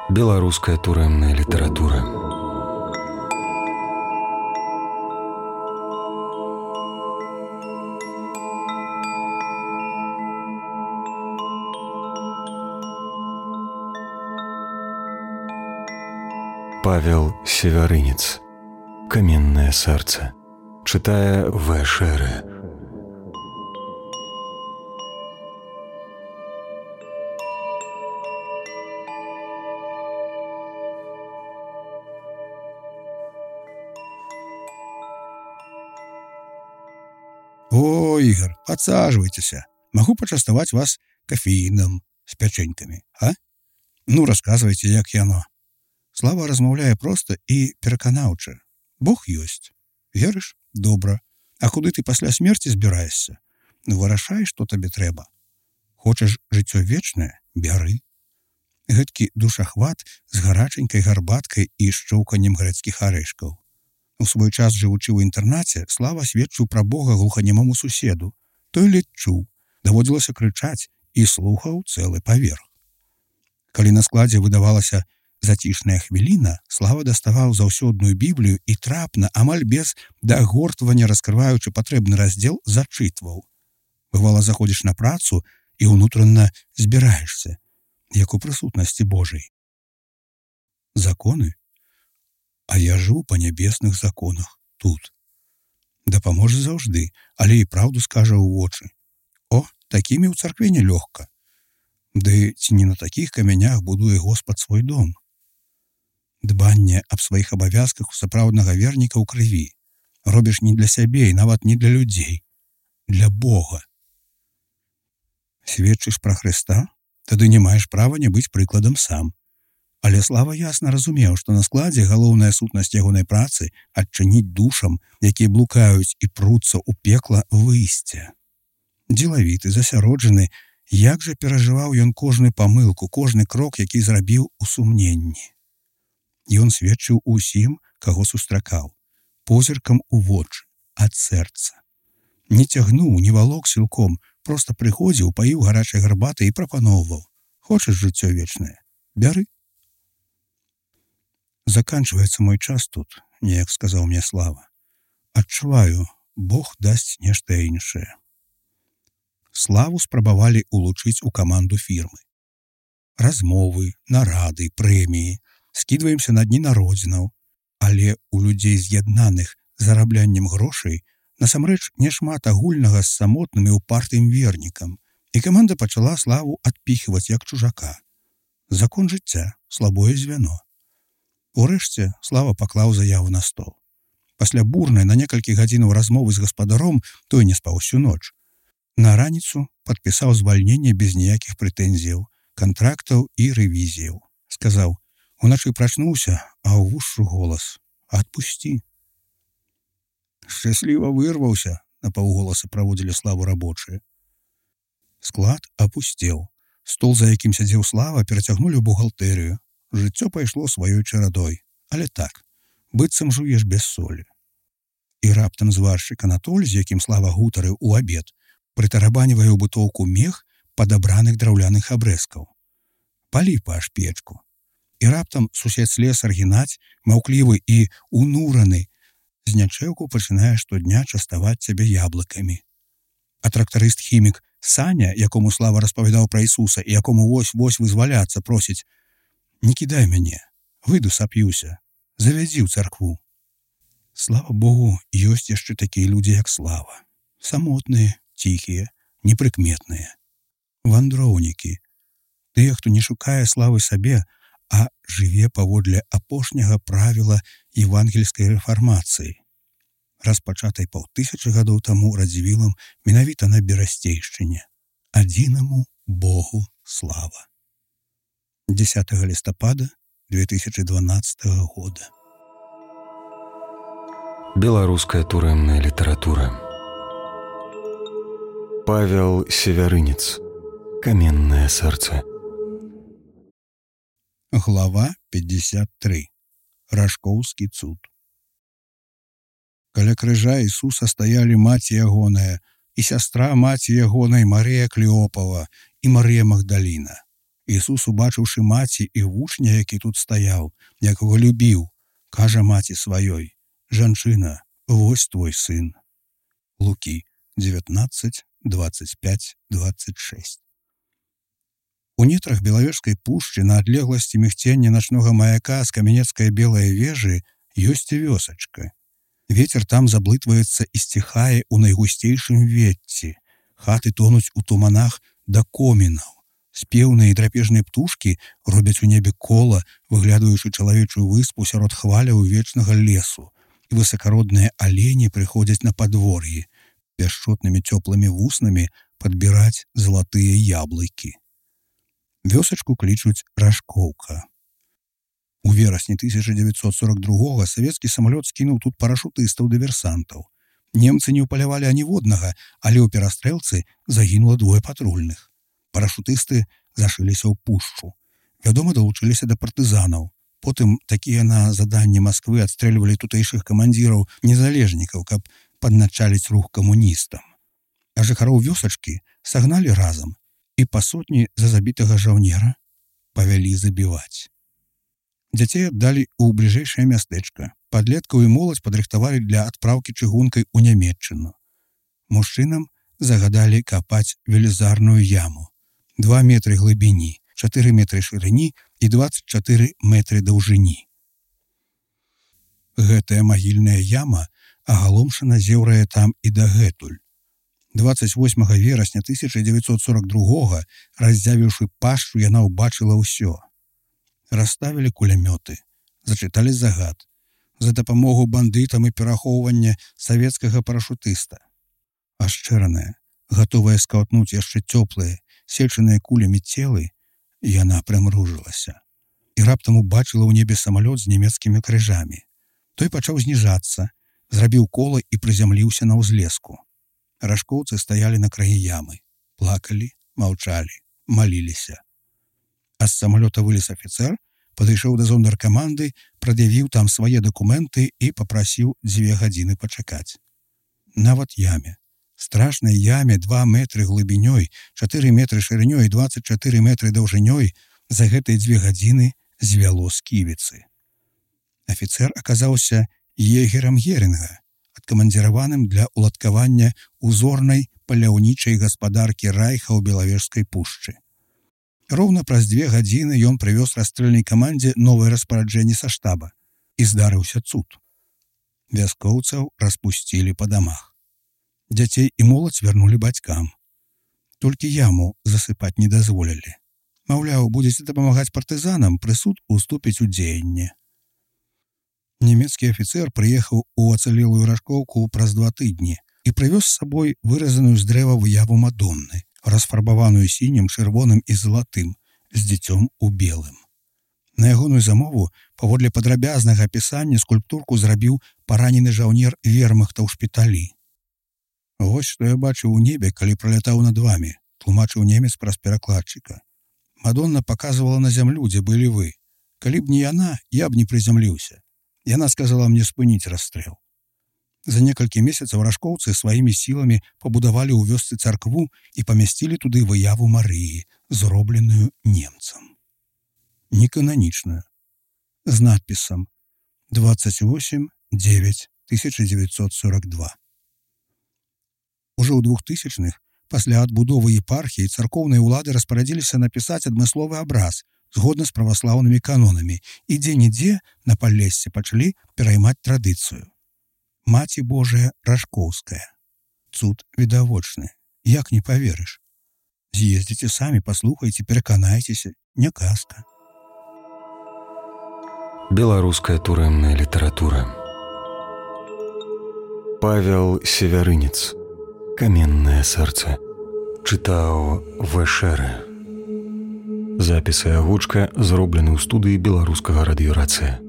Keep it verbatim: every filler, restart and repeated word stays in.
Беларуская турэмная літаратура. Павел Севярынец. Каменное сердце. Читая В. Шере. О, Игорь, подсаживайтесь. Могу почастовать вас кофеином с печеньками, а? Ну, рассказывайте, як яно. Слава размаўляе проста і пераканаўча. Бог ёсць. Верыш? Добра. А куды ты пасля смерці збіраешся? Ну, вырашай, што табе трэба. Хочаш жыццё вечнае? Бяры. Гэткі душахват з гараченькай гарбаткай і шчоўканнем гарадскіх арэшкаў. У свой час, жывучы ў інтэрнаце, Слава сведчыў пра Бога глуханемому суседу. Той ледь чуў, даводзілася крычаць і слухаў цэлы паверх. Калі на складзе выдавалася зацішная хвіліна, Слава даставаў заўсёдную Біблію і трапна, амаль без дагортвання раскрываючы патрэбны раздзел, зачытваў. Бывала, заходзіш на працу і ўнутрана збіраешся, як у прысутнасці Божай. Законы? А я жыў па нябесных законах тут. Дапаможа заўжды, але і праўду скажа ў вочы. О, такімі ў царкве нелёгка. Ды ці не на такіх камянях будуе Господ свой дом? Дбанне аб сваіх абавязках у сапраўднага верніка ў крыві. Робіш не для сябе і нават не для людзей. Для Бога. Сведчыш пра Хрыста? Тады не маеш права не быць прыкладам сам. Але Слава ясна разумеў, што на складзе галоўная сутнасць ягонай працы адчыніць душам, якія блукаюць і пруцца ў пекла, выйсце. Дзелавіты, засяроджаны, як жа перажываў ён кожную памылку, кожны крок, які зрабіў у сумненні. Ён сведчыў усім, каго сустракаў, позіркам у вочы, ад сэрца. Не цягнуў, не валок сілком, проста прыходзіў, паіў гарачай гарбатай і прапаноўваў. Хочаш жыццё вечнае? Бяры. Заканчваецца мой час тут, неяк сказаў мне Слава. Адчуваю, Бог дасць нешта іншае. Славу спрабавалі улучыць у каманду фірмы. Размовы, нарады, прэміі, скідваемся на дні народзінаў, але у людзей з'яднаных зарабляннем грошай насамрэч няшмат агульнага з самотным і упартым вернікам, і каманда пачала Славу адпіхваць як чужака. Закон жыцця, слабое звяно. Урэшце Слава паклаў заяву на стол. Пасля бурнай на некалькі гадзінаў размовы з гаспадаром той не спаў усю ноч. На раніцу падпісаў звальненне без ніякіх прэтэнзіяў, кантрактаў і рэвізіяў. Сказаў: уначы прачнуўся, а ў вушшу голас: адпусці. Шчасліва вырваўся, на паўголаса праводзілі Славу рабочыя. Склад апусцеў. Стол, за якім сядзеў Слава, перацягнулі ў бухгалтэрыю. Жыццё пайшло сваёй чарадой, але так, быццам жуеш без солі. І раптам зваршчык Анатоль, з якім Слава гутарыў у абед, прытарабанівае ў бутоўку мех падабраных драўляных абрэзкаў. Палі паш печку. І раптам сусед слесар Геннадзь, маўклівы і унураны, з нячэўку пачынае штодня частаваць цябе яблыкамі. А трактарыст-хімік Саня, якому Слава распавядаў пра Ісуса і якому вось-вось вызваляцца просіць: не кідай мяне, выйду сап'юся, завядзі ў царкву. Слава Богу, ёсць яшчэ такія людзі, як Слава. Самотныя, ціхія, непрыкметныя. Вандроўнікі. Тыя, хто не шукае славы сабе, а жыве паводле апошняга правіла евангельскай рэфармацыі, распачатай паўтысячы гадоў таму Радзівілам менавіта на Берасцейшчыне. Адзінаму Богу слава. дзесятага лістапада две тысячи дванадцатого года. Беларуская турэмная літаратура. Павел Севярынец. Каменное сердце. Глава пятьдесят три. Рашкоўскі цуд. Каля крыжа Ісуса стаялі маці ягоная і сястра маці ягонай Марыя Клеопава і Марыя Магдаліна. Ісус, убачыўшы маці і вучня, які тут стаяў, якога любіў, кажа маці сваёй: «Жанчына, вось твой сын». Лукі девятнадцать, двадцать пять, двадцать шесть. У нетрах Белавежскай пушчы на адлегласці мігцення начнога маяка з каменецкай белай вежы ёсць вёсачка. Вецер там заблытваецца і сціхае ў найгусцейшым ветці. Хаты тонуць у туманах да комінаў. Спеўныя і драпежныя птушкі робяць у небе кола, выглядаючы чалавечую выспу сярод хваляў вечнага лесу. І высакародныя алені прыходзяць на падвор'і, пяшчотнымі цёплымі вуснамі падбіраць залатыя яблыкі. Вёсачку клічуць Рашкоўка. У верасні тысяча дзевяцьсот сорок другога савецкі самалёт скінуў тут парашутыстаў-дыверсантаў. Немцы не ўпалявалі аніводнага, але ў перастрэлцы загінула двое патрульных. Парашутысты зашыліся ў пушчу. Вядома, далучыліся да партызанаў. Потым такія на заданне Масквы адстрэльвалі тутэйшых камандзіраў незалежнікаў, каб падначаліць рух камуністам. А жыхароў вёсачкі сагналі разам і па сотні за забітага жаўнера павялі забіваць. Дзяцей аддалі ў бліжэйшае мястэчка. Падлеткаў і моладзь падрыхтавалі для адпраўкі чыгункай у Нямецчыну. Мужчынам загадалі капаць велізарную яму. Два метры глыбіні, чатыры метры шырыні і дваццаць чатыры метры даўжыні. Гэтая магільная яма агаломшана зеўрае там і дагэтуль. дваццаць восьмага верасня тысяча дзевяцьсот сорок другога, раздзявіўшы пашчу, яна ўбачыла ўсё. Расставілі кулямёты, зачыталі загад за дапамогу бандытам і перахоўвання савецкага парашутыста. Ашчэраная, гатовая скаўтнуць яшчэ цёплыя, сечаныя кулямі целы, яна прымружылася. І раптам убачыла ў небе самалёт з нямецкімі крыжамі. Той пачаў зніжацца, зрабіў кола і прызямліўся на ўзлеску. Рашкоўцы стаялі на краі ямы, плакалі, маўчалі, маліліся. А з самалёта вылез афіцэр, падышоў да зондаркаманды, прад'явіў там свае дакументы і папрасіў дзве гадзіны пачакаць. Нават яме, страшнай яме два метры глыбінёй, чатыры метры шырынёй і дваццаць чатыры метры даўжынёй, за гэтыя дзве гадзіны звяло сківіцы. Афіцэр аказаўся егерам Герінга, адкамандзіраваным для ўладкавання узорнай паляўнічай гаспадаркі Райха ў Белавежскай пушчы. Роўна праз дзве гадзіны ён прывёз расстрэльнай камандзе новае распараджэнне са штаба. І здарыўся цуд. Вяскоўцаў распусцілі па дамах. Дзяцей і моладзь вярнулі бацькам. Толькі яму засыпаць не дазволілі. Маўляў, будзеце дапамагаць партызанам, прысуд уступіць у дзеянне. Нямецкі афіцэр прыехаў у ацалелую Рашкоўку праз два тыдні і прывёз з сабой выразаную з дрэва выяву Мадонны, расфарбаваную сінім, чырвоным і залатым, з дзіцём у белым. На ягоную замову, паводле падрабязнага апісання, скульптурку зрабіў паранены жаўнер вермахта ў шпіталі. «Вось што я бачыў у небе, калі пралятаў над вамі», тлумачыў немец праз перакладчыка. «Мадонна паказвала на зямлю, дзе былі вы. Калі б не яна, я б не прызямліўся. Яна сказала мне спыніць расстрэл». За некалькі месяцаў рашкоўцы сваімі сіламі пабудавалі ў вёсцы царкву і памясцілі туды выяву Марыі, зробленую немцам. Некананічную, з надпісам двадцать восемь девять тысяча девятьсот сорок два. Ужо ў двухтысячных, пасля адбудовы епархіі, царкоўныя ўлады распарадзіліся напісаць адмысловы абраз згодна з праваслаўнымі канонамі і дзе-нідзе на Палессі пачалі пераймаць традыцыю. Маці Божая Рашкоўская. Цуд відавочны. Як не паверыш? З'ездзіце самі, паслухайце, пераканайцеся. Не казка. Беларуская турэмная літаратура. Павел Севярынец. «Каменное сердце». Чытаў Вэшэрэ. Запіс і агучка зроблены ў студыі беларускага радыёрацыя.